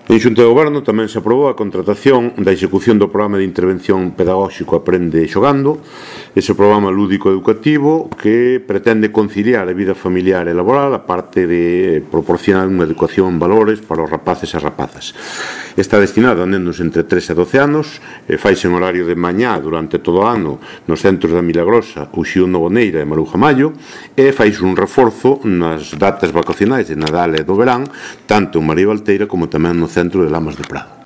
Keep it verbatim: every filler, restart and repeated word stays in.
En Xunta de Goberno tamén se aprobou a contratación da execución do programa de intervención pedagóxico Aprende Xogando, ese programa lúdico educativo que pretende conciliar a vida familiar e laboral a parte de proporcionar unha educación en valores para os rapaces e rapazas. Está destinado a nenos entre tres e doce anos, e faise en horario de mañá durante todo o ano nos centros da Milagrosa, Uxío Novoneira e Maruja Mallo, e faise un reforzo nas datas vacacionais de Nadal e do verán, tanto en María Valteira como tamén no centro de Lamas de Prado.